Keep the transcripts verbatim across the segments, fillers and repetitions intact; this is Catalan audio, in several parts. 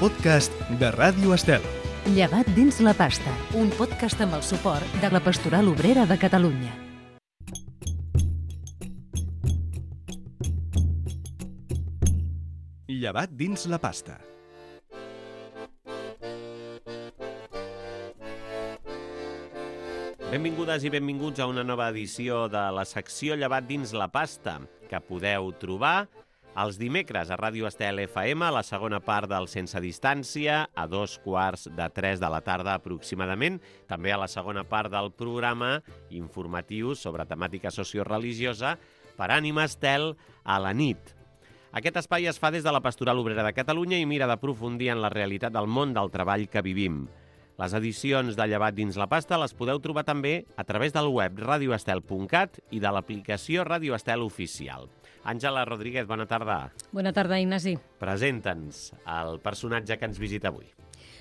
podcast de Ràdio Estel. Llevat dins la pasta, un podcast amb el suport de la Pastoral Obrera de Catalunya. Llevat dins la pasta. Benvingudes i benvinguts a una nova edició de la secció Llevat dins la pasta, que podeu trobar els dimecres a Ràdio Estel F M, a la segona part del Sense Distància, a dos quarts de tres de la tarda aproximadament, també a la segona part del programa informatiu sobre temàtica socioreligiosa per Ànima Estel a la nit. Aquest espai es fa des de la Pastoral Obrera de Catalunya i mira d'aprofundir en la realitat del món del treball que vivim. Les edicions de Llevat dins la pasta les podeu trobar també a través del web radio estel punt cat i de l'aplicació Ràdio Estel Oficial. Àngela Rodríguez, bona tarda. Bona tarda, Ignasi. Presenta'ns el personatge que ens visita avui.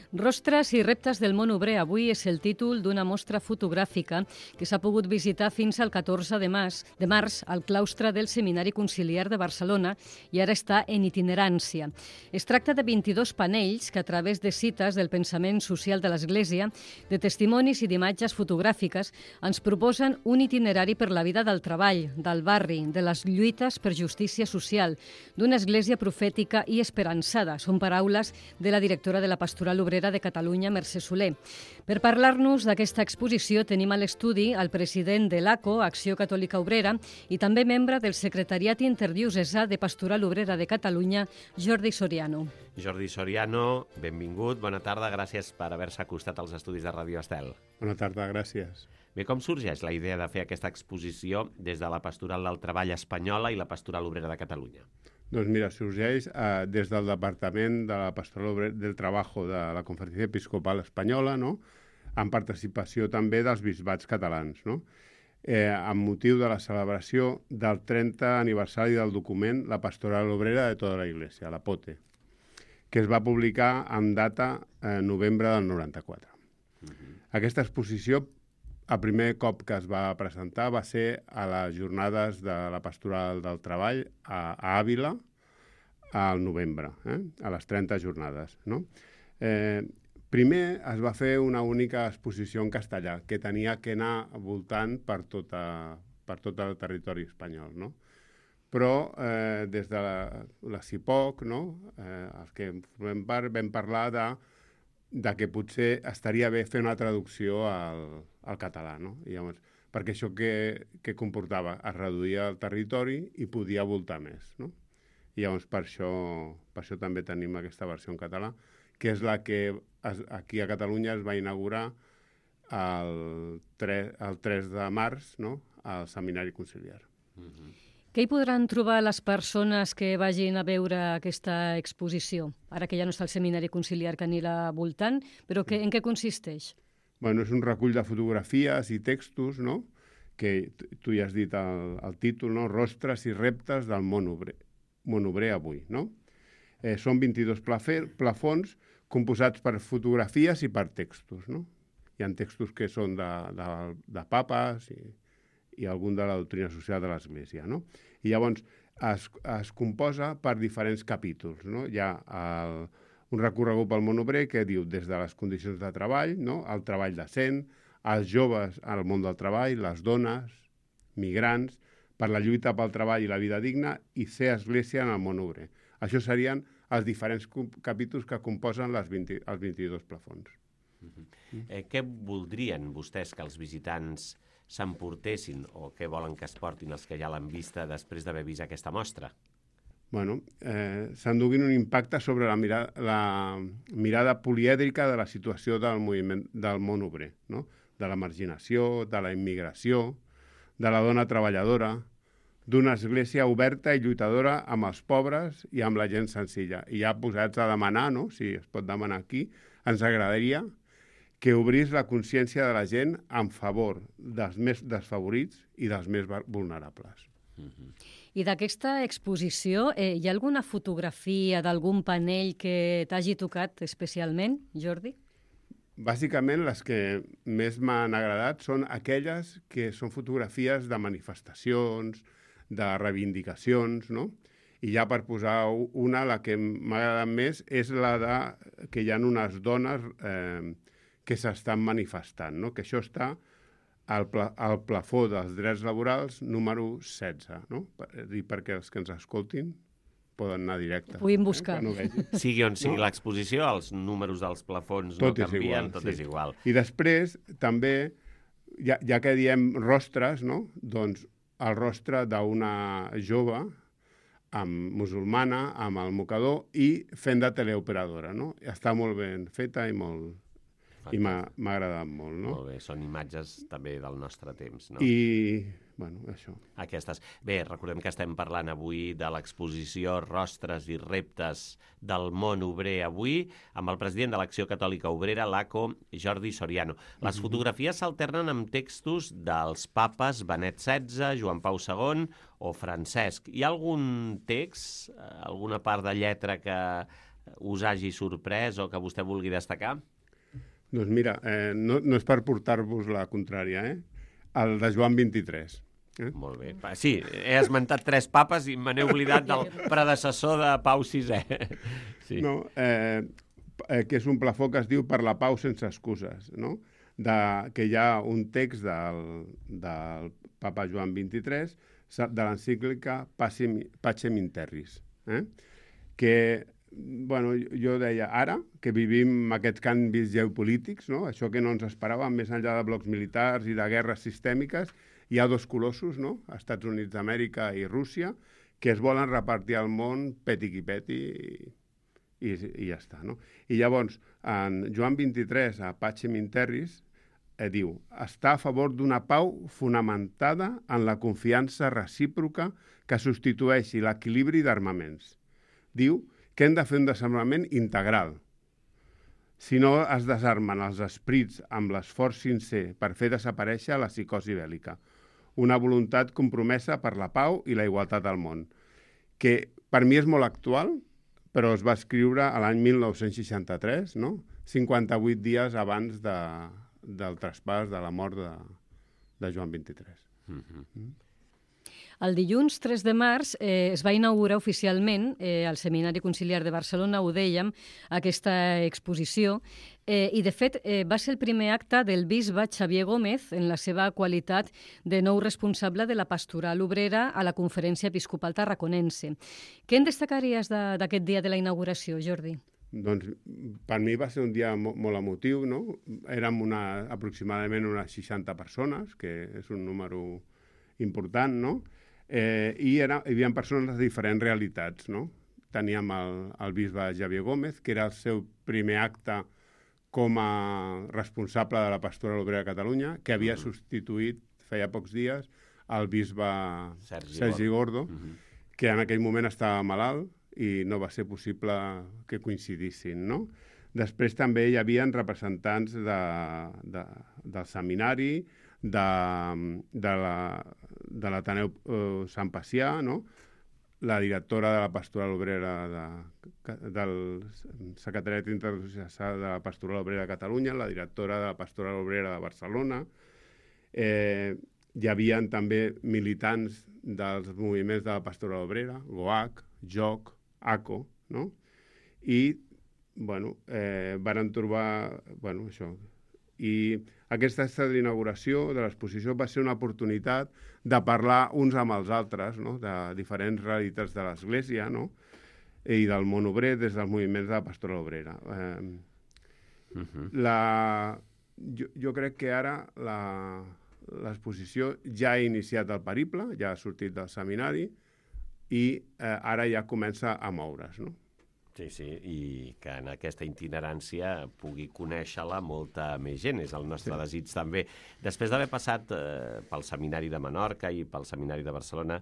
Rostres i reptes del món obrer. Avui és el títol d'una mostra fotogràfica que s'ha pogut visitar fins al catorze de març, de març al claustre del Seminari Conciliar de Barcelona i ara està en itinerància. Es tracta de vint-i-dos panells que a través de cites del pensament social de l'Església, de testimonis i d'imatges fotogràfiques, ens proposen un itinerari per la vida del treball, del barri, de les lluites per justícia social, d'una església profètica i esperançada. Són paraules de la directora de la Pastoral Obrera de Catalunya, Mercè Soler. Per parlar-nos d'aquesta exposició tenim a l'estudi el president de l'A C O, Acció Catòlica Obrera, i també membre del Secretariat Interdiocesà de Pastoral Obrera de Catalunya, Jordi Soriano. Jordi Soriano, benvingut, bona tarda, gràcies per haver-se acostat als estudis de Ràdio Estel. Bona tarda, gràcies. Bé, com sorgeix la idea de fer aquesta exposició des de la Pastoral del Treball Espanyola i la Pastoral Obrera de Catalunya? Doncs mira, sorgeix eh, des del Departament de la Pastoral Obrera del Trabajo de la Conferència Episcopal Espanyola, no? Amb participació també dels bisbats catalans, no? Eh, amb motiu de la celebració del trentè aniversari del document La Pastoral Obrera de tota la Iglesia, la P O T E, que es va publicar amb data eh, novembre del noranta-quatre. Uh-huh. Aquesta exposició, el primer cop que es va presentar va ser a les jornades de la Pastoral del Treball a, a Àvila al novembre, eh? A les trenta jornades. No? Eh, primer es va fer una única exposició en castellà que tenia que anar voltant per, tota, per tot el territori espanyol. No? Però eh, des de la, la CIPOC, no? eh, els que formem part, vam parlar de de que potser estaria bé fer una traducció al, al català, no? I llavors, perquè això que, que comportava? Es reduïa el territori i podia voltar més, no? I llavors per això, per això també tenim aquesta versió en català, que és la que es, aquí a Catalunya es va inaugurar el, tre, el tres de març, no? Al Seminari Conciliar. Mm-hmm. Què hi podran trobar les persones que vagin a veure aquesta exposició? Ara que ja no està el Seminari Conciliar que anirà voltant, però que, en què consisteix? Bueno, és un recull de fotografies i textos, no? Que tu ja has dit el, el títol, no? Rostres i reptes del món obrer, món obrer avui, no? Eh, són vint-i-dos plafer, plafons composats per fotografies i per textos, no? Hi ha textos que són de, de, de papes i... i algun de la doctrina social de l'Església, no? I llavors es, es composa per diferents capítols, no? Hi ha el, un recorregut pel món obrer que diu des de les condicions de treball, no? El treball decent, els joves al món del treball, les dones, migrants, per la lluita pel treball i la vida digna i ser església en el món obrer. Això serien els diferents capítols que composen les vint, els vint-i-dos plafons. Uh-huh. eh, què voldrien vostès que els visitants s'emportessin o què volen que es portin els que ja l'han vista després d'haver vist aquesta mostra? Bueno, eh, s'enduguin un impacte sobre la mirada, la mirada polièdrica de la situació del moviment del món obrer, no? De la marginació, de la immigració, de la dona treballadora, d'una església oberta i lluitadora amb els pobres i amb la gent senzilla. I ja posats a demanar, no? Si es pot demanar aquí, ens agradaria que obrís la consciència de la gent en favor dels més desfavorits i dels més vulnerables. Mm-hmm. I d'aquesta exposició, eh, hi ha alguna fotografia d'algun panell que t'hagi tocat especialment, Jordi? Bàsicament, les que més m'han agradat són aquelles que són fotografies de manifestacions, de reivindicacions, no? I ja per posar una, la que m'ha agradat més és la de que hi ha unes dones eh, que s'estan manifestant, no? Que això està al, pla, al plafó dels drets laborals número setze, no? I perquè els que ens escoltin poden anar directe. Puguin buscar. Eh? Sigui on sigui no? l'exposició, els números dels plafons tot no canvien, igual, tot sí. és igual. I després, també, ja, ja que diem rostres, no? Doncs el rostre d'una jove amb musulmana, amb el mocador i fent de teleoperadora, no? Està molt ben feta i molt... Fantàstic. I m'ha agradat molt, no? Molt bé, són imatges també del nostre temps, no? I, bueno, això. Aquestes. Bé, recordem que estem parlant avui de l'exposició Rostres i reptes del món obrer avui amb el president de l'Acció Catòlica Obrera, l'A C O, Jordi Soriano. Les mm-hmm. fotografies s'alternen amb textos dels papes Benet setze, Joan Pau segon o Francesc. Hi ha algun text, alguna part de lletra que us hagi sorprès o que vostè vulgui destacar? Doncs mira, eh, no, no és per portar-vos la contrària, eh? El de Joan vint-i-tres. Eh? Molt bé. Sí, he esmentat tres papes i me n'he oblidat del predecessor de Pau sisè. Sí. No, eh, eh, que és un plafó que es diu Per la pau sense excuses, no? De, que hi ha un text del, del papa Joan vint-i-tres de l'encíclica Pacem in Terris, eh? Que... Bueno, jo deia, ara, que vivim aquests canvis geopolítics, no? Això que no ens esperàvem, més enllà de blocs militars i de guerres sistèmiques, hi ha dos colossos, no? Estats Units d'Amèrica i Rússia, que es volen repartir al món peti qui peti i, i, i ja està, no? I llavors, en Joan vint-i-tres, a Pacem in Terris, eh, diu, està a favor d'una pau fonamentada en la confiança recíproca que substitueixi l'equilibri d'armaments. Diu que hem de fer un desenvolupament integral. Si no es desarmen els esprits amb l'esforç sincer per fer desaparèixer la psicosi bèl·lica. Una voluntat compromesa per la pau i la igualtat al món, que per mi és molt actual, però es va escriure a l'any mil nou-cents seixanta-tres, no? cinquanta-vuit dies abans de, del traspàs de la mort de, de Joan vint-i-tres. Mm-hmm. Mm? El dilluns tres de març eh, es va inaugurar oficialment eh, al Seminari Conciliar de Barcelona, ho dèiem, aquesta exposició, eh, i de fet eh, va ser el primer acte del bisbe Xavier Gómez en la seva qualitat de nou responsable de la pastoral obrera a la Conferència Episcopal Tarraconense. Què en destacaries d'aquest dia de la inauguració, Jordi? Doncs per mi va ser un dia mo molt emotiu, no? Érem una, aproximadament unes seixanta persones, que és un número important, no? Eh, i era, hi havia persones de diferents realitats, no? Teníem el, el bisbe Xavier Gómez, que era el seu primer acte com a responsable de la Pastoral Obrera de Catalunya, que havia mm. substituït, feia pocs dies, el bisbe Sergi, Sergi Gordo, Gordo mm -hmm. que en aquell moment estava malalt i no va ser possible que coincidissin, no? Després també hi havia representants de, de, del seminari, de, de la de l'Ateneu eh, Sant Pacià, no? La directora de la Pastoral Obrera de, del Secretariat Internacional de la Pastoral Obrera de Catalunya, la directora de la Pastoral Obrera de Barcelona. Eh, hi havia també militants dels moviments de la Pastoral Obrera, GOAC, J O C, A C O, no? I, bueno, eh, varen trobar, bueno, això. I aquesta inauguració de l'exposició va ser una oportunitat de parlar uns amb els altres, no? De diferents realitats de l'Església, no? I del món obrer des dels moviments de la Pastoral Obrera. Eh, uh-huh. la, jo, jo crec que ara l'exposició ja ha iniciat el periple, ja ha sortit del seminari i eh, ara ja comença a moure's, no? Sí, sí, i que en aquesta itinerància pugui conèixer-la molta més gent, és el nostre sí. desig també. Després d'haver passat eh, pel Seminari de Menorca i pel Seminari de Barcelona,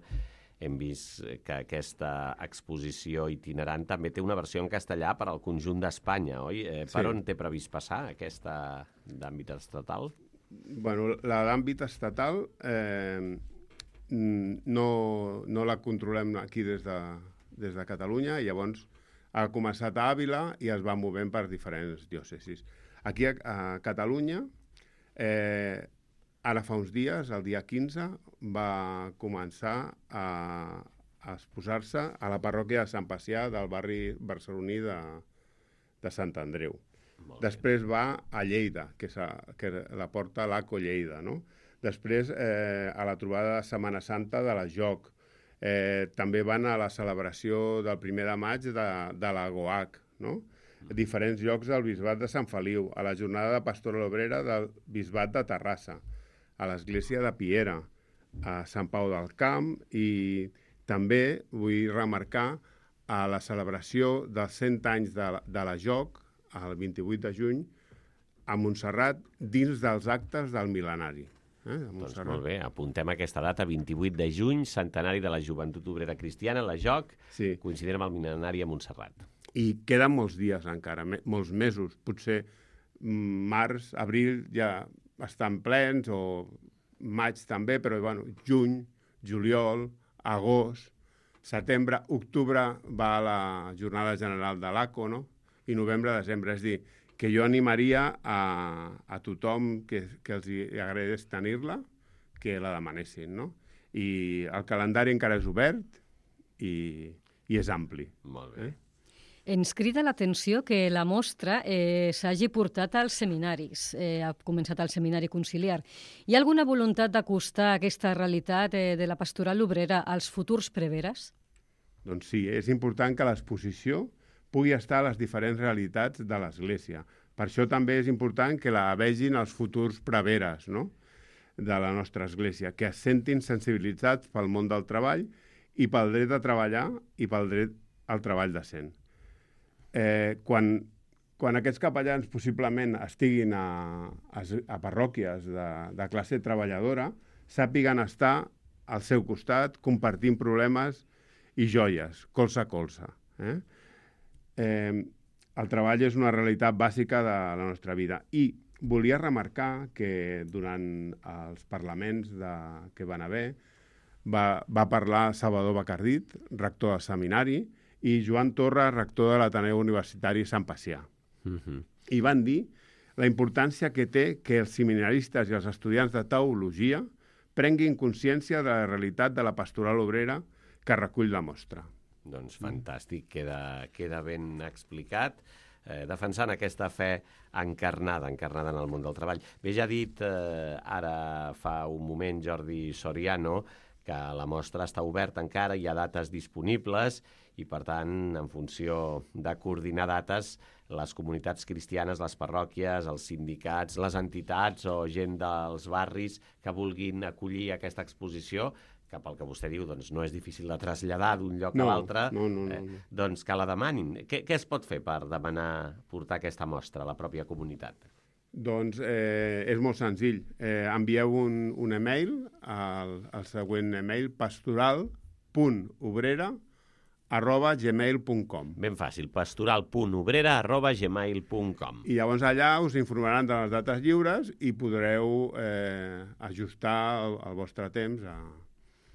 hem vist que aquesta exposició itinerant també té una versió en castellà per al conjunt d'Espanya, oi? Eh, per sí. on té previst passar aquesta d'àmbit estatal? Bueno, la d'àmbit estatal eh, no, no la controlem aquí des de, des de Catalunya, i llavors ha començat a Àvila i es va movent per diferents diòcesis. Aquí a, a Catalunya, eh, ara fa uns dies, el dia quinze, va començar a, a exposar-se a la parròquia de Sant Pacià del barri barceloní de, de Sant Andreu. Després va a Lleida, que, és a, que la porta l'Aco Lleida, no? Després eh, a la trobada de Setmana Santa de la Joc. Eh, també van a la celebració del primer de maig de, de la GOAC, no? A diferents llocs del Bisbat de Sant Feliu, a la jornada de Pastoral Obrera del Bisbat de Terrassa, a l'església de Piera, a Sant Pau del Camp i també vull remarcar a la celebració dels cent anys de la, de la Joc, el vint-i-vuit de juny, a Montserrat, dins dels actes del mil·lenari. Eh, doncs molt bé, apuntem aquesta data, vint-i-vuit de juny, centenari de la Joventut Obrera Cristiana, la Joc, sí. Coincidint amb el mil·lenari a Montserrat. I queden molts dies encara, me, molts mesos, potser març, abril ja estan plens, o maig també, però bueno, juny, juliol, agost, setembre, octubre va a la jornada general de l'Aco, no? I novembre, desembre, és dir, que jo animaria a, a tothom que, que els agradés tenir-la, que la demanessin, no? I el calendari encara és obert i, i és ampli. Molt bé. Eh? Ens crida l'atenció que la mostra eh, s'hagi portat als seminaris, eh, ha començat al Seminari Conciliar. Hi ha alguna voluntat d'acostar aquesta realitat eh, de la pastoral obrera als futurs preveres? Doncs sí, és important que l'exposició pugui estar a les diferents realitats de l'Església. Per això també és important que la vegin els futurs preveres, no?, de la nostra Església, que es sentin sensibilitzats pel món del treball i pel dret a treballar i pel dret al treball decent. Eh, quan, quan aquests capellans possiblement estiguin a, a, a parròquies de, de classe treballadora, sàpiguen estar al seu costat, compartint problemes i joies, colze a colze. Eh? Eh, el treball és una realitat bàsica de la nostra vida. I volia remarcar que durant els parlaments de, que van haver va, va parlar Salvador Bacardit, rector del seminari, i Joan Torres, rector de l'Ateneu Universitari Sant Pacià. Uh-huh. I van dir la importància que té que els seminaristes i els estudiants de teologia prenguin consciència de la realitat de la pastoral obrera que recull la mostra. Doncs fantàstic, queda, queda ben explicat, eh, defensant aquesta fe encarnada, encarnada en el món del treball. Bé, ja ha dit eh, ara fa un moment Jordi Soriano que la mostra està oberta encara, hi ha dates disponibles i, per tant, en funció de coordinar dates, les comunitats cristianes, les parròquies, els sindicats, les entitats o gent dels barris que vulguin acollir aquesta exposició, que pel que vostè diu doncs, no és difícil de traslladar d'un lloc no, a l'altre, no, no, no, no. Eh, doncs que la demanin. Què, què es pot fer per demanar portar aquesta mostra a la pròpia comunitat? Doncs eh, és molt senzill. Eh, envieu un, un email al, al següent email, pastoral punt obrera arroba gmail punt com. Ben fàcil, pastoral punt obrera arroba gmail punt com. I llavors allà us informaran de les dates lliures i podreu eh, ajustar el, el vostre temps a...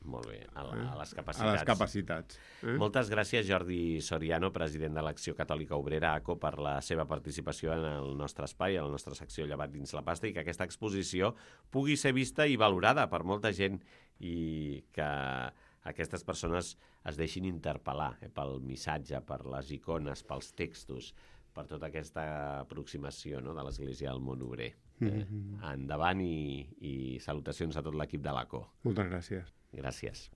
Molt bé, a, a les capacitats. A les capacitats. Eh? Moltes gràcies, Jordi Soriano, president de l'Acció Catòlica Obrera, A C O, per la seva participació en el nostre espai, en la nostra secció Llevat dins la pasta, i que aquesta exposició pugui ser vista i valorada per molta gent i que aquestes persones es deixin interpel·lar eh, pel missatge, per les icones, pels textos, per tota aquesta aproximació, no?, de l'Església al món obrer. Eh? Mm-hmm. Endavant i, i salutacions a tot l'equip de l'A C O. Moltes gràcies. Gràcies.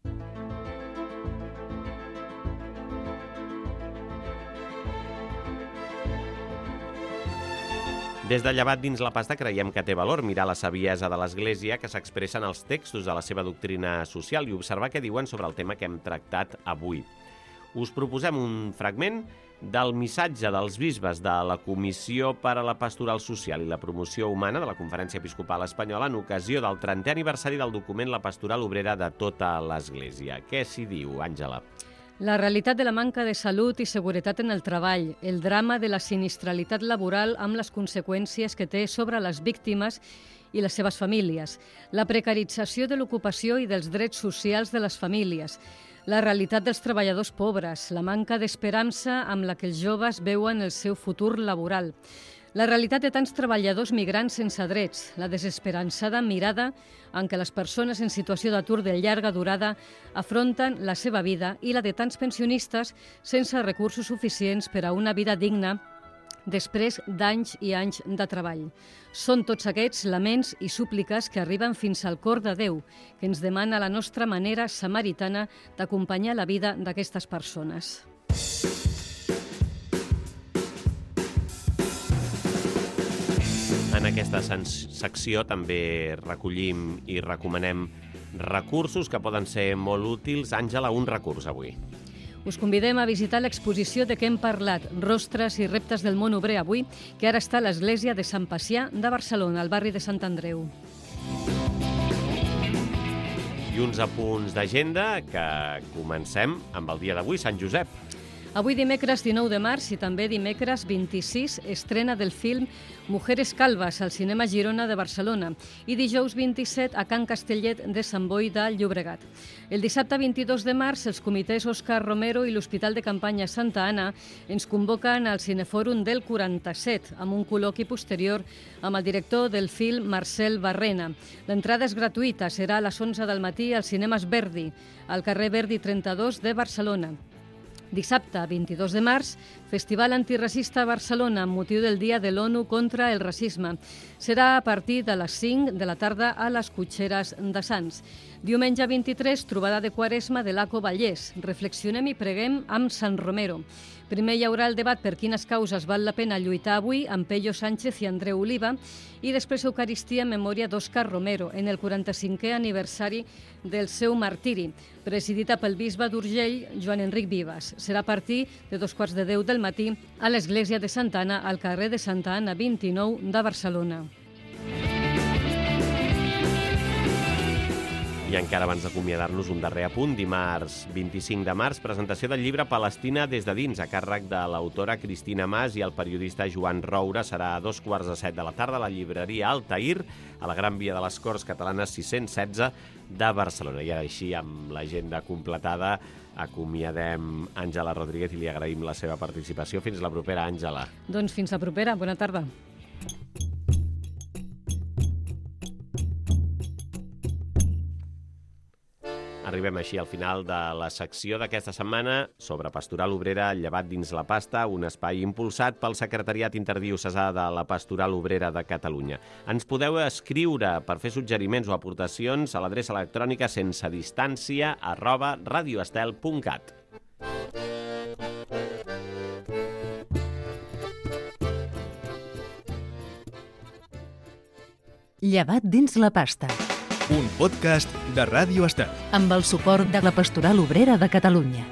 Des de Llevat dins la pasta creiem que té valor mirar la saviesa de l'Església que s'expressa en els textos de la seva doctrina social i observar què diuen sobre el tema que hem tractat avui. Us proposem un fragment del missatge dels bisbes de la Comissió per a la Pastoral Social i la Promoció Humana de la Conferència Episcopal Espanyola en ocasió del trentè aniversari del document La Pastoral Obrera de tota l'Església. Què s'hi diu, Àngela? La realitat de la manca de salut i seguretat en el treball, el drama de la sinistralitat laboral amb les conseqüències que té sobre les víctimes i les seves famílies, la precarització de l'ocupació i dels drets socials de les famílies, la realitat dels treballadors pobres, la manca d'esperança amb la que els joves veuen el seu futur laboral, La realitat de tants treballadors migrants sense drets, la desesperançada mirada en què les persones en situació d'atur de llarga durada afronten la seva vida i la de tants pensionistes sense recursos suficients per a una vida digna després d'anys i anys de treball. Són tots aquests laments i súpliques que arriben fins al cor de Déu, que ens demana la nostra manera samaritana d'acompanyar la vida d'aquestes persones. En aquesta secció també recollim i recomanem recursos que poden ser molt útils. Àngela, un recurs avui. Us convidem a visitar l'exposició de què hem parlat, Rostres i reptes del món obrer avui, que ara està a l'església de Sant Pacià de Barcelona, al barri de Sant Andreu. I uns apunts d'agenda que comencem amb el dia d'avui, Sant Josep. Avui dimecres dinou de març i també dimecres vint-i-sis estrena del film Mujeres Calvas al Cinema Girona de Barcelona i dijous vint-i-set a Can Castellet de Sant Boi de Llobregat. El dissabte vint-i-dos de març els comitès Òscar Romero i l'Hospital de Campanya Santa Anna ens convoquen al Cinefòrum del quaranta-set amb un col·loqui posterior amb el director del film Marcel Barrena. L'entrada és gratuïta, serà a les onze del matí al Cinemes Verdi, al carrer Verdi trenta-dos de Barcelona. Dissabte, vint-i-dos de març, Festival Antiracista a Barcelona amb motiu del Dia de l'ONU contra el racisme. Serà a partir de les cinc de la tarda a les Cotxeres de Sants. Diumenge vint-i-tres, trobada de Quaresma de l'Aco Vallès. Reflexionem i preguem amb Sant Romero. Primer hi haurà el debat per quines causes val la pena lluitar avui amb Pello Sánchez i Andreu Oliva i després Eucaristia en memòria d'Òscar Romero en el quaranta-cinquè aniversari del seu martiri, presidida pel bisbe d'Urgell, Joan Enric Vives. Serà a partir de dos quarts de deu del matí a l'església de Santa Anna, al carrer de Santa Anna vint-i-nou de Barcelona. I encara abans d'acomiadar-nos, un darrer apunt. Dimarts vint-i-cinc de març, presentació del llibre Palestina des de dins, a càrrec de l'autora Cristina Mas i el periodista Joan Roura. Serà a dos quarts de set de la tarda a la llibreria Altair, a la Gran Via de les Corts Catalanes sis-cents setze de Barcelona. I ara així, amb l'agenda completada, acomiadem Àngela Rodríguez i li agraïm la seva participació. Fins la propera, Àngela. Doncs fins la propera. Bona tarda. Arribem així al final de la secció d'aquesta setmana sobre Pastoral Obrera, llevat dins la pasta, un espai impulsat pel Secretariat Interdiocesà de la Pastoral Obrera de Catalunya. Ens podeu escriure per fer suggeriments o aportacions a l'adreça electrònica sense distància arroba radioestel punt cat. Llevat dins la pasta. Un podcast de Ràdio Estel. Amb el suport de la Pastoral Obrera de Catalunya.